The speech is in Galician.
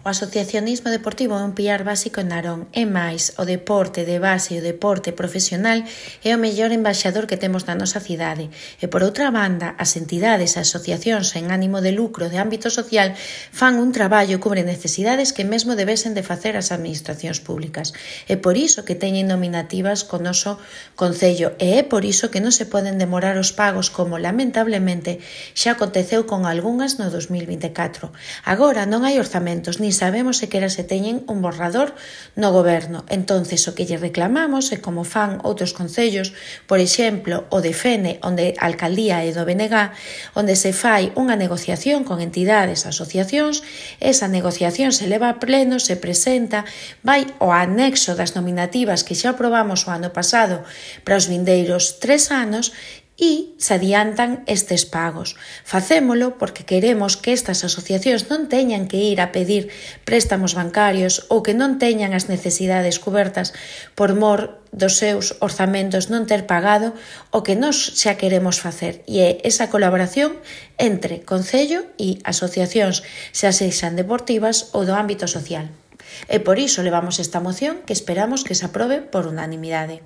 O asociacionismo deportivo é un pilar básico en Narón. É máis, o deporte de base e o deporte profesional é o mellor embaixador que temos na nosa cidade. E por outra banda, as entidades e asociacións en ánimo de lucro de ámbito social fan un traballo e cubren necesidades que mesmo debesen de facer as administracións públicas. É por iso que teñen nominativas co noso Concello e é por iso que non se poden demorar os pagos como, lamentablemente, xa aconteceu con algunhas no 2024. Agora non hai orzamentos, nin sabemos sequera se teñen un borrador no goberno. Entonces, o que lle reclamamos é como fan outros concellos, por exemplo, o de Fene, onde a alcaldía é do BNG, onde se fai unha negociación con entidades, asociacións, esa negociación se leva a pleno, se presenta, vai ao anexo das nominativas que xa aprobamos o ano pasado para os vindeiros 3 anos e se adiantan estes pagos. Facémolo porque queremos que estas asociacións non teñan que ir a pedir préstamos bancarios ou que non teñan as necesidades cubertas por mor dos seus orzamentos non ter pagado o que nós xa queremos facer, e é esa colaboración entre Concello e asociacións, xa sexan deportivas ou do ámbito social. E por iso levamos esta moción que esperamos que se aprobe por unanimidade.